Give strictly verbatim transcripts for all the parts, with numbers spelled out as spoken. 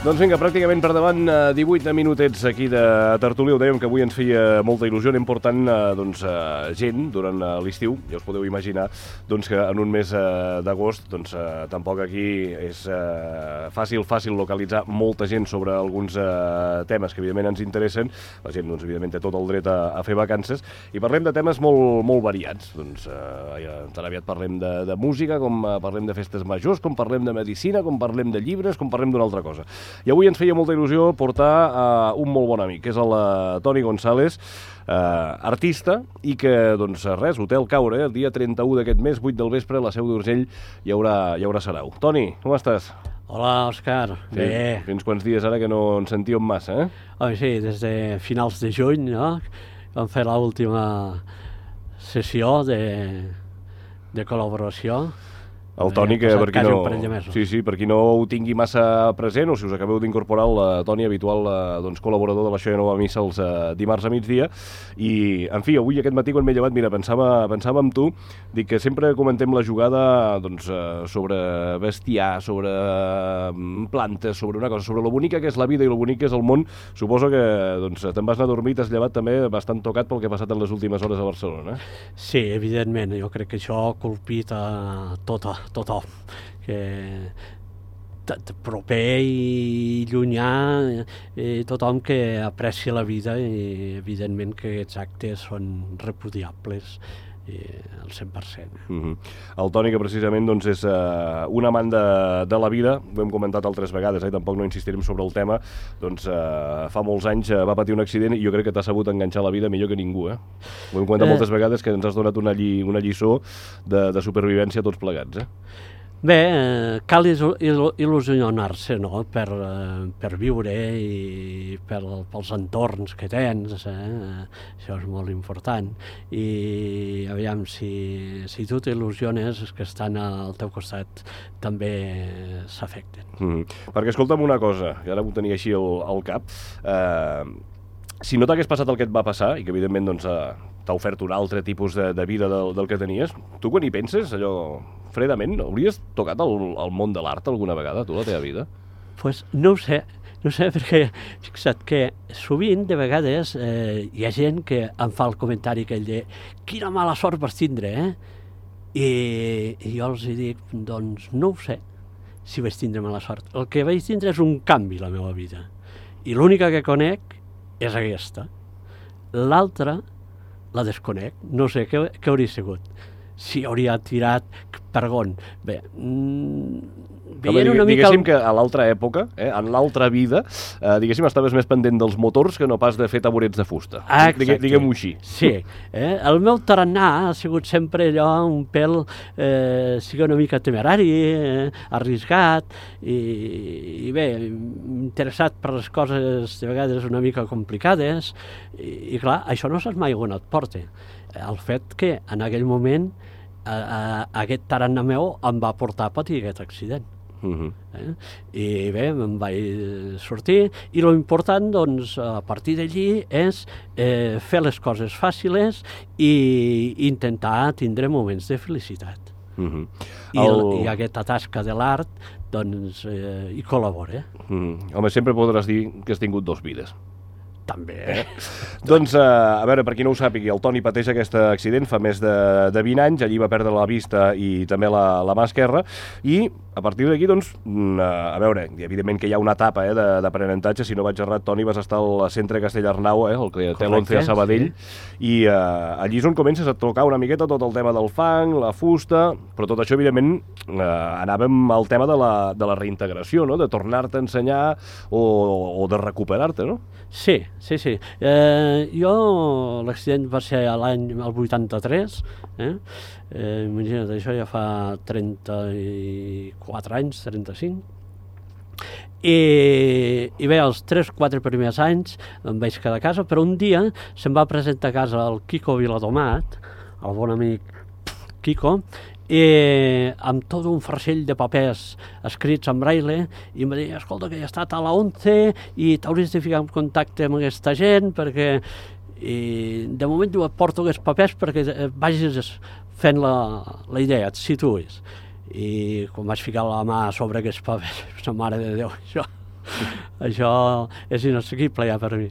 Doncs vinga, pràcticament per davant, divuit minutets aquí de tertúlia. Ho dèiem que avui ens feia molta il·lusió. Anem portant doncs, gent durant l'estiu. Ja us podeu imaginar doncs, que en un mes d'agost doncs, tampoc aquí és fàcil, fàcil localitzar molta gent sobre alguns temes que evidentment ens interessen. La gent doncs, evidentment té tot el dret a, a fer vacances. I parlem de temes molt, molt variats. Doncs, ja, tan aviat parlem de, de música, com parlem de festes majors, com parlem de medicina, com parlem de llibres, com parlem d'una altra cosa. I avui ens feia molta il·lusió portar uh, un molt bon amic, que és el uh, Toni González, uh, artista, i que, doncs, res, Hotel Caure, eh, el dia trenta-u d'aquest mes, vuit del vespre, a la Seu d'Urgell, hi haurà, hi haurà sarau. Toni, com estàs? Hola, Òscar. Sí, bé. Fins quants dies ara que no ens sentíem massa, eh? Oh, sí, des de finals de juny, no? Vam fer l'última sessió de, de col·laboració. El Toni, que per qui, no, sí, sí, per qui no ho tingui massa present, o si us acabeu d'incorporar, el Toni, habitual doncs, col·laborador de la Això ja no va a missa els uh, dimarts a migdia, i, en fi, avui aquest matí quan m'he llevat, mira, pensava, pensava en tu, dic que sempre comentem la jugada doncs, uh, sobre bestiar, sobre uh, plantes, sobre una cosa, sobre lo bonica que és la vida i lo bonic que és el món. Suposo que doncs, te'n vas anar a dormir i t'has llevat també bastant tocat pel que ha passat en les últimes hores a Barcelona. Sí, evidentment, jo crec que això ha colpit a tota tothom, que proper i llunyà, i tothom que aprecia la vida, i evidentment que aquests actes són repudiables al cent per cent. Mm-hmm. El Toni, que precisament doncs, és uh, un amant de, de la vida, ho hem comentat altres vegades, eh? Tampoc no insistirem sobre el tema, doncs uh, fa molts anys uh, va patir un accident i jo crec que t'ha sabut enganxar la vida millor que ningú. Eh? Ho hem comentat eh... moltes vegades, que ens has donat una, lli una lliçó de, de supervivència tots plegats. Eh? Bé, eh, cal il·lusionar-se, no?, per, eh, per viure i per, pels entorns que tens, eh? Això és molt important. I aviam, si, si tu t'il·lusiones, els que estan al teu costat també s'afecten. Mm. Perquè escolta'm una cosa, que ara ho tenia així al, al cap, eh, si no t'hagués passat el que et va passar, i que evidentment doncs, eh, t'ha ofert un altre tipus de, de vida del, del que tenies, tu quan hi penses, allò fredament, hauries tocat el, el món de l'art alguna vegada, tu, la teva vida? Doncs pues no ho sé, no ho sé, perquè fixa't que sovint, de vegades, eh, hi ha gent que em fa el comentari aquell de quina mala sort vas tindre, eh? I, i jo els dic, doncs no ho sé, si vaig tindre mala sort. El que vaig tindre és un canvi a la meva vida, i l'única que conec és aquesta. L'altra la desconec, no sé què, què hauria sigut. Si hauria tirat per on. Bé, mmm, veient una mica... Diguéssim que a l'altra època, eh, en l'altra vida, eh, diguéssim, estaves més pendent dels motors que no pas de fer taburets de fusta. Exacte. Diguem-ho així. Sí. Eh? El meu tarannà ha sigut sempre allò, un pèl, eh, sigui una mica temerari, eh, arriscat, i, i bé, interessat per les coses de vegades una mica complicades, i, i clar, això no saps mai on et porta. El fet que en aquell moment eh, eh, aquest tarannà meu em va portar a patir aquest accident. Uh-huh. eh? I bé, em vaig sortir, i l'important, doncs, a partir d'allí és eh, fer les coses fàcils i intentar tindre moments de felicitat. Uh-huh. I, el... I aquesta tasca de l'art, doncs, eh, hi col·labora. Uh-huh. Home, sempre podràs dir que has tingut dos vides. També. Eh? Doncs, uh, a veure, per qui no ho sàpigui, el Toni pateix aquest accident fa més de, de vint anys, allí va perdre la vista i també la, la mà esquerra, i a partir d'aquí, doncs, uh, a veure, evidentment que hi ha una etapa eh, d'aprenentatge, si no vaig errat, Toni, vas estar al centre Castellarnau, eh, el que té l'once a Sabadell, sí. I uh, allí és on comences a tocar una miqueta tot el tema del fang, la fusta, però tot això, evidentment, uh, anàvem al tema de la, de la reintegració, no?, de tornar-te a ensenyar o, o de recuperar-te, no? Sí, sí, sí. Eh, jo, l'accident va ser a l'any vuitanta-tres, eh? eh? Imagina't, això ja fa trenta-quatre anys, trenta-cinc. I, i bé, els tres o quatre primers anys em vaig quedar a casa, però un dia se'm va presentar a casa el Quico Viladomat, el bon amic Quico, i amb tot un farcell de papers escrits en braille, i em va dir, escolta, que he estat a la once i t'hauries de ficar en contacte amb aquesta gent, perquè i de moment jo et porto aquests papers perquè vagis fent la, la idea, et situïs. I quan vaig ficar la mà sobre aquests papers, la mare de Déu, això Això és inassequible ja per mi.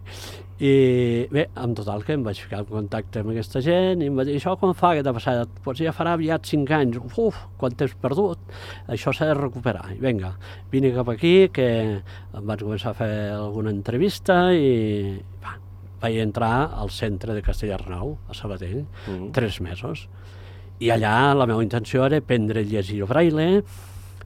I bé, en total que em vaig ficar en contacte amb aquesta gent i em va dir, això quan fa que t'ha passat? Pues ja farà aviat cinc anys. Uf, quant t'has perdut? Això s'ha de recuperar. I vinga, vine cap aquí, que em vaig començar a fer alguna entrevista i va, vaig entrar al centre de Castellarnau, a Sabadell, mm-hmm. tres mesos. I allà la meva intenció era aprendre a llegir braille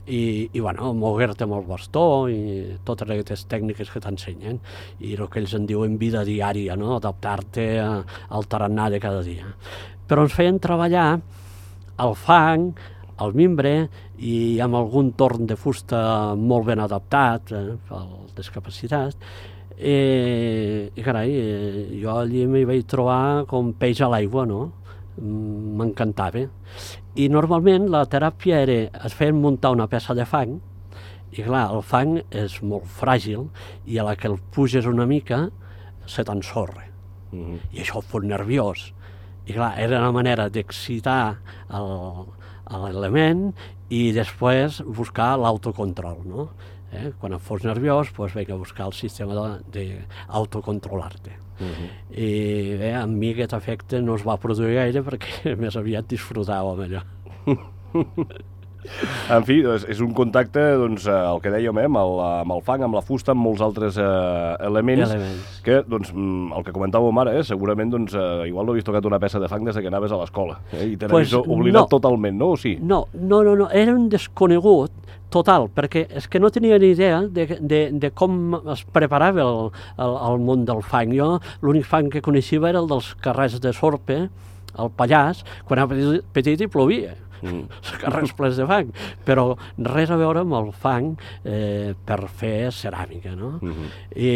i, i bueno, moure-te amb el bastó i totes aquestes tècniques que t'ensenyen i el que ells en diuen vida diària, no? Adaptar-te al tarannà de cada dia. Però ens feien treballar al fang, al mimbre i amb algun torn de fusta molt ben adaptat eh, pel discapacitat. I, i carai, jo allí m'hi vaig trobar com peix a l'aigua, no? M'encantava. I normalment la teràpia era, es feien muntar una peça de fang i clar, el fang és molt fràgil i a la que el puges una mica se t'ensorra. Mm-hmm. I això et fot nerviós. I clar, era una manera d'excitar l'element i després buscar l'autocontrol, no? Eh? Quan et fos nerviós, doncs vinc a buscar el sistema d'autocontrolar-te. Uh-huh. I bé, amb mi aquest efecte no es va produir gaire perquè més aviat disfrutàvem allò. En fi, és un contacte, doncs, el que dèiem, eh, amb, el, amb el fang, amb la fusta, amb molts altres eh, elements, elements, que, doncs, el que comentàvem ara, eh, segurament, doncs, eh, igual no havies tocat una peça de fang des que anaves a l'escola, eh, i te n'havies pues oblidat no. totalment, no? O sí? No, no, no, no, era un desconegut total, perquè és que no tenia ni idea de, de, de com es preparava el, el, el món del fang. Jo l'únic fang que coneixia era el dels carrers de Sorpe, al Pallars, quan era petit, petit i plovia. Mm. Carrers plens de fang, però res a veure amb el fang eh, per fer ceràmica, no? Mm-hmm. I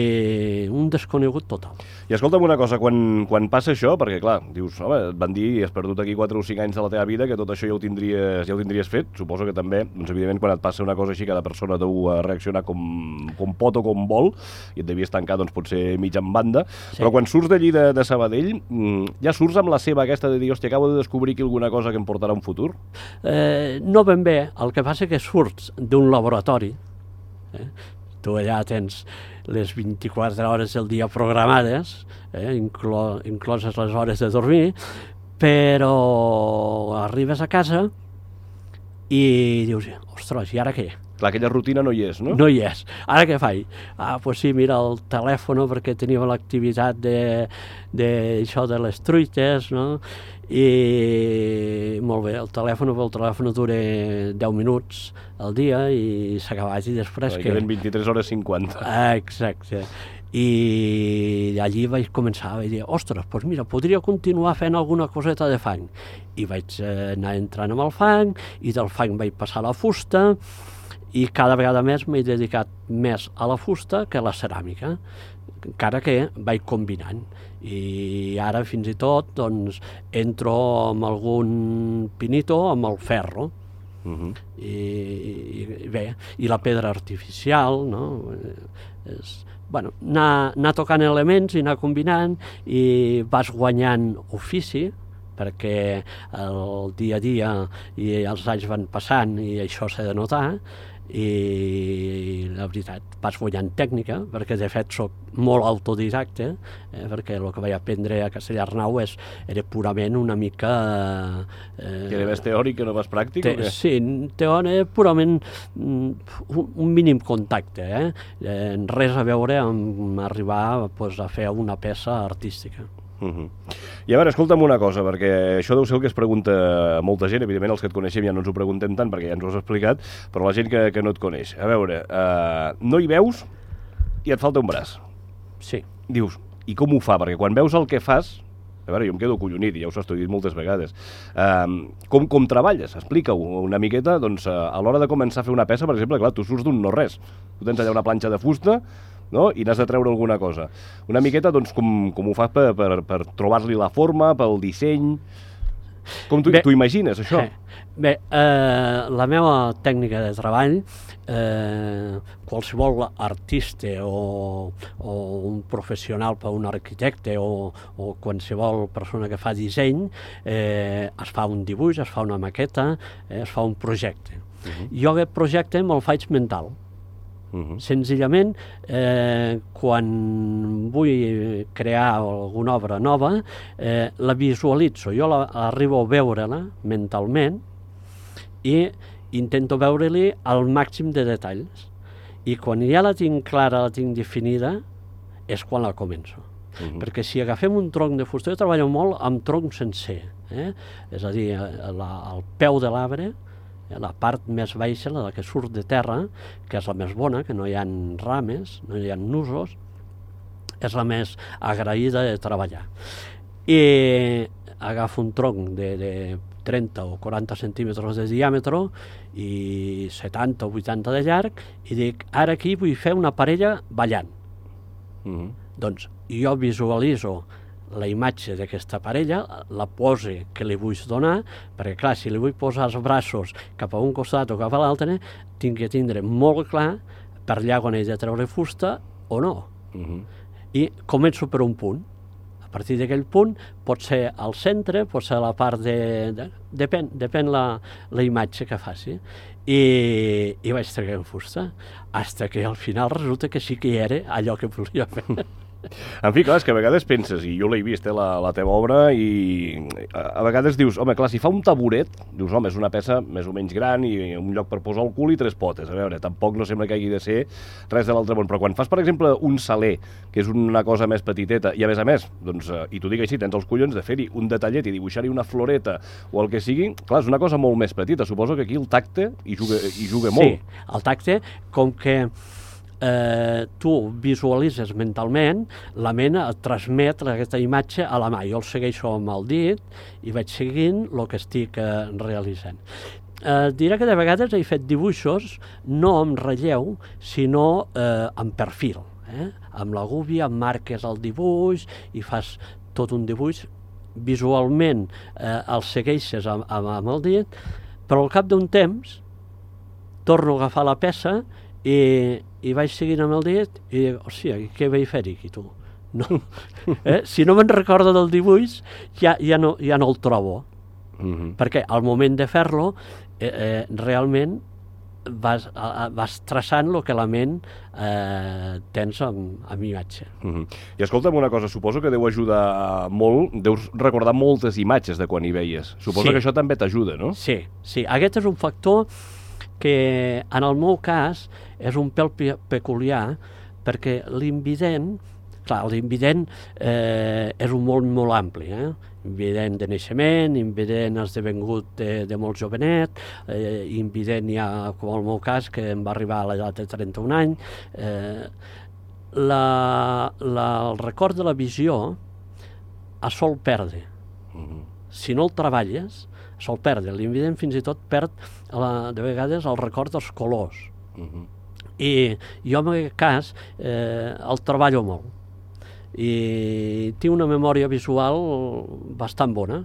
un desconegut total. I escolta'm una cosa, quan, quan passa això, perquè clar, dius, home, et van dir i has perdut aquí quatre o cinc anys de la teva vida, que tot això ja ho tindries, ja ho tindries fet, suposo que també, doncs evidentment quan et passa una cosa així, cada persona deu reaccionar com, com pot o com vol, i et devies tancar, doncs potser mig en banda, sí. Però quan surts d'allí de, de Sabadell, ja surts amb la seva aquesta de dir, hòstia, acabo de descobrir aquí alguna cosa que em portarà un futur? Eh, no ben bé, el que passa que surts d'un laboratori, eh? Tu allà tens les vint-i-quatre hores del dia programades, eh? Inclo, incloses les hores de dormir, però arribes a casa i dius, ostres, i ara què? Clar, aquella rutina no hi és, no? No hi és. Ara què faig? Ah, doncs pues sí, mira el telèfon, perquè teníem l'activitat de, de, això de les truites, no? I molt bé, el telèfon, el telèfon dura deu minuts al dia i s'ha acabat i després que... Queden vint-i-tres hores cinquanta. Ah, exacte. I allí vaig començar, vaig dir, ostres, doncs mira, podria continuar fent alguna coseta de fang. I vaig anar entrant amb el fang, i del fang vaig passar a la fusta, i cada vegada més m'he dedicat més a la fusta que a la ceràmica, encara que vaig combinant. I ara fins i tot doncs, entro amb algun pinito amb el ferro. Uh-huh. I, i bé, i la pedra artificial, no? És, bueno, anar, anar tocant elements i anar combinant i vas guanyant ofici, perquè el dia a dia i els anys van passant i això s'ha de notar, i la veritat vas guanyant tècnica, perquè de fet soc molt autodidacte, eh, perquè el que vaig aprendre a Castellarnau és, era purament una mica... Eh, que era més teòric que no vas pràctic? Te, o què? Sí, teòric, purament un, un mínim contacte, eh? Eh, res a veure amb arribar pues, a fer una peça artística. Uh-huh. I a veure, escolta'm una cosa, perquè això deu ser el que es pregunta a molta gent, evidentment els que et coneixem ja no ens ho preguntem tant perquè ja ens ho has explicat, però la gent que, que no et coneix, a veure, uh, no hi veus i et falta un braç. Sí. Dius, i com ho fa? Perquè quan veus el que fas, a veure, jo em quedo collonit, i ja us ho he dit moltes vegades, uh, com, com treballes? Explica-ho una miqueta, doncs uh, a l'hora de començar a fer una peça, per exemple, clar, tu surts d'un no-res, tu tens allà una planxa de fusta, no? I n'has de treure alguna cosa. Una miqueta, doncs, com, com ho fas per, per, per trobar-li la forma, pel disseny... Com t'ho imagines, això? Eh, bé, eh, la meva tècnica de treball, eh, qualsevol artista o, o un professional per un arquitecte o, o qualsevol persona que fa disseny, eh, es fa un dibuix, es fa una maqueta, eh, es fa un projecte. Uh-huh. Jo aquest projecte me'l faig mental. Uh-huh. Senzillament, eh, quan vull crear alguna obra nova, eh, la visualitzo. Jo la, arribo a veure-la mentalment i intento veure-li el màxim de detalls. I quan ja la tinc clara, la tinc definida, és quan la començo. Uh-huh. Perquè si agafem un tronc de fusta, jo treballo molt amb tronc sencer, eh? És a dir, la, el peu de l'arbre, la part més baixa, la que surt de terra, que és la més bona, que no hi ha rames, no hi ha nusos, és la més agraïda de treballar. I agafo un tronc de, de trenta o quaranta centímetres de diàmetre i setanta o vuitanta de llarg i dic, ara aquí vull fer una parella ballant. Mm-hmm. Doncs jo visualitzo la imatge d'aquesta parella, la pose que li vull donar, perquè clar, si li vull posar els braços cap a un costat o cap a l'altre, tinc que tindre molt clar per allà on he de treure fusta o no. Uh-huh. I començo per un punt. A partir d'aquell punt pot ser al centre, pot ser a la part de... de depèn, depèn la, la imatge que faci. I, i vaig treure fusta, fins que al final resulta que sí que hi era allò que volia fer. En fi, clar, és que a vegades penses, i jo l'he vist, eh, la, la teva obra, i a, a vegades dius, home, clar, si fa un taburet, dius, home, és una peça més o menys gran i un lloc per posar el cul i tres potes. A veure, tampoc no sembla que hagi de ser res de l'altre món. Però quan fas, per exemple, un saler, que és una cosa més petiteta, i a més a més, doncs, i t'ho dic així, tens els collons de fer-hi un detallet i dibuixar-hi una floreta o el que sigui, clar, és una cosa molt més petita. Suposo que aquí el tacte hi juga, hi juga molt. Sí, el tacte, com que Eh, tu visualitzes mentalment, la ment et transmet aquesta imatge a la mà. Jo el segueixo amb el dit i vaig seguint el que estic eh, realitzant. Eh, diré que de vegades he fet dibuixos no amb relleu, sinó eh, amb perfil. Eh? Amb la gúbia marques el dibuix i fas tot un dibuix. Visualment eh, el segueixes amb, amb, amb el dit, però al cap d'un temps torno a agafar la peça i i vaig seguint amb el dit i dic, hòstia, què vaig fer aquí, tu? No. Eh? Si no me'n recordo del dibuix, ja, ja, no, ja no el trobo. Mm-hmm. Perquè al moment de fer-lo, eh, eh, realment vas, a, vas traçant el que la ment eh, tens amb, amb imatge. Mm-hmm. I escolta'm una cosa, suposo que deu ajudar molt, deus recordar moltes imatges de quan hi veies. Suposo sí. que això també t'ajuda, no? Sí, sí. Aquest és un factor que en el meu cas és un pèl pe peculiar, perquè l'invident, clar, l'invident eh, és un món molt ampli, eh? Invident de naixement, invident esdevengut de, de molt jovenet, eh, invident ja, com el meu cas, que em va arribar a l'edat de trenta-un anys. Eh, la, la, el record de la visió es sol perdre. Mm-hmm. Si no el treballes, sol perdre. L'invident fins i tot perd la, de vegades el record dels colors. Uh-huh. I jo en aquest cas eh, el treballo molt. I tinc una memòria visual bastant bona.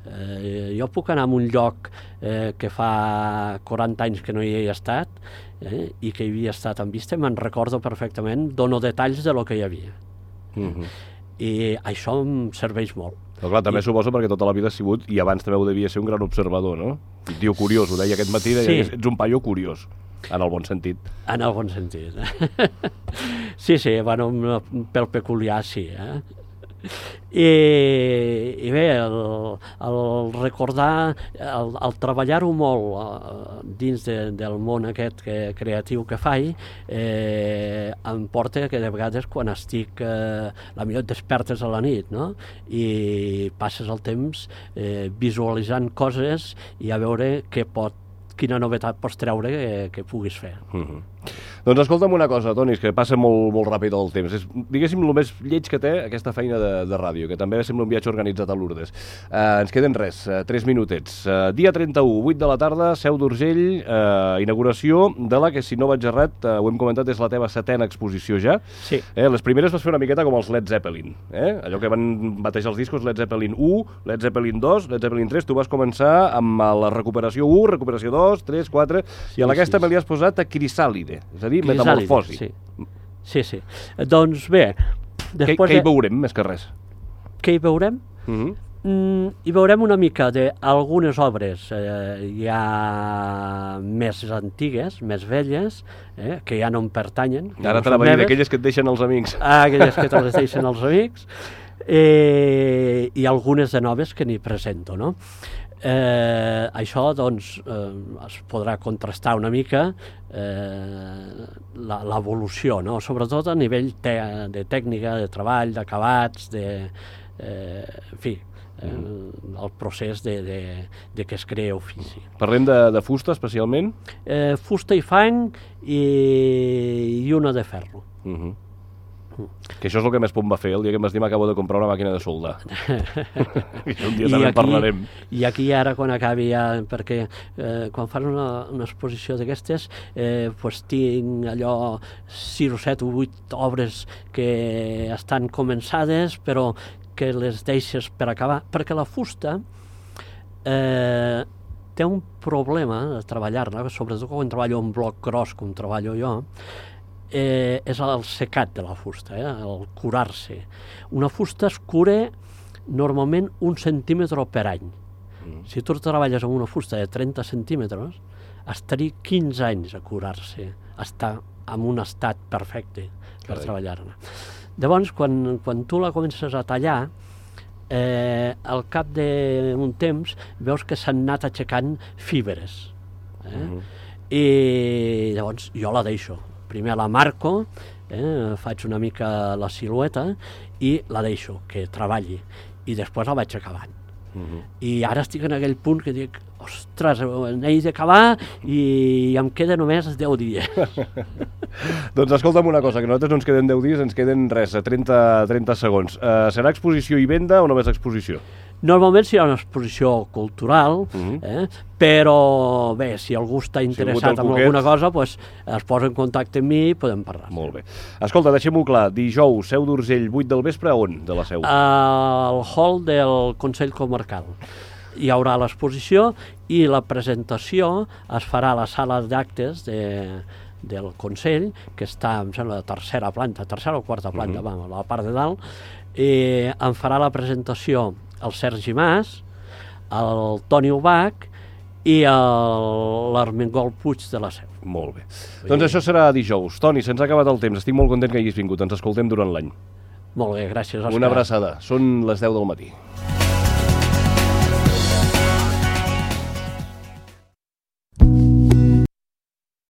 Eh, jo puc anar a un lloc eh, que fa quaranta anys que no hi he estat eh, i que hi havia estat en vista, me'n recordo perfectament, dono detalls de lo que hi havia. Uh-huh. I això em serveix molt. Però clar, també I... suposo perquè tota la vida has sigut, i abans també ho devia ser, un gran observador, no? Un tio curiós, ho deia aquest matí, deia, sí. Ets un paio curiós, en el bon sentit. En el bon sentit. Sí, sí, bueno, un pèl peculiar, sí, eh? I, i bé, el, el recordar, el, el treballar-ho molt uh, dins de, del món aquest que, creatiu que faig, eh, em porta que de vegades quan estic, eh, la millor et despertes a la nit, no? I passes el temps eh, visualitzant coses i a veure què pot, quina novetat pots treure que, que puguis fer. Mm-hmm. Doncs escolta'm una cosa, Toni, que passa molt, molt ràpid el temps. És, diguéssim, el més lleig que té aquesta feina de, de ràdio, que també sembla un viatge organitzat a Lourdes. Uh, ens queden res, uh, tres minutets. Uh, dia trenta-u, vuit de la tarda, Seu d'Urgell, uh, inauguració de la que, si no vaig errat, uh, ho hem comentat, és la teva setena exposició ja. Sí. Eh, les primeres vas fer una miqueta com els Led Zeppelin. Eh? Allò que van batejar els discos, Led Zeppelin u, Led Zeppelin dos, Led Zeppelin tres. Tu vas començar amb la recuperació u, recuperació dos, tres, quatre, sí, i a aquesta sí, me li has posat a Crisàlide, és a dir, metamorfosi. Sí. sí, sí. Doncs bé... Després què, què hi veurem, més que res? Què hi veurem? Uh-huh. Mm, I veurem una mica d'algunes obres eh, ja més antigues, més velles, eh, que ja no em pertanyen. Ara no t'anava a dir d'aquelles que et deixen els amics. Ah, aquelles que te les deixen els amics. Eh, I algunes de noves que n'hi presento, no? Eh, això, doncs, eh, es podrà contrastar una mica eh, l'evolució, no? Sobretot a nivell te de tècnica, de treball, d'acabats, de... Eh, en fi, eh, el procés de, de, de que es crea ofici. Parlem de, de fusta, especialment? Eh, fusta i fang i, i una de ferro. Uh -huh. Que això és el que més por em va fer el dia que em vas dir m'acabo de comprar una màquina de soldar. I un dia també en parlarem. I aquí ara, quan acabi ja, perquè eh, quan fan una, una exposició d'aquestes, eh, pues tinc allò sis o set o vuit obres que estan començades, però que les deixes per acabar, perquè la fusta eh, té un problema de treballar-la, sobretot quan treballo en bloc gros, com treballo jo, Eh, és el secat de la fusta, eh? El curar-se. Una fusta es cura normalment un centímetre per any. Mm. Si tu treballes amb una fusta de trenta centímetres, estaria quinze anys a curar-se, estar en un estat perfecte per treballar-la. Llavors, quan, quan tu la comences a tallar, eh, al cap d'un temps veus que s'han anat aixecant fibres. Eh? Mm. I llavors jo la deixo. Primer la marco, eh, faig una mica la silueta i la deixo, que treballi, i després la vaig acabant. Uh -huh. I ara estic en aquell punt que dic, ostres, n'he d'acabar i em queden només deu dies. Doncs escolta'm una cosa, que nosaltres no ens queden deu dies, ens queden res, trenta, trenta segons. Uh, serà exposició i venda o només exposició? Normalment serà una exposició cultural, uh -huh. eh? Però bé, si algú està interessat si en alguna cosa, pues, es posa en contacte amb mi i podem parlar. Molt bé. Escolta, deixem-ho clar, dijous, Seu d'Urgell, vuit del vespre, on de la Seu? Al hall del Consell Comarcal. Hi haurà l'exposició i la presentació es farà a la sala d'actes de, del Consell, que està, em sembla, a tercera planta, tercera o quarta planta, uh -huh. vam, a la part de dalt, i em farà la presentació el Sergi Mas, el Toni Ubach i l'Armengol Puig de la Seu. Molt bé. Doncs això serà dijous. Toni, se'ns ha acabat el temps. Estic molt content que hagis vingut. Ens escoltem durant l'any. Molt bé, gràcies, Òscar. Una abraçada. Són les deu del matí.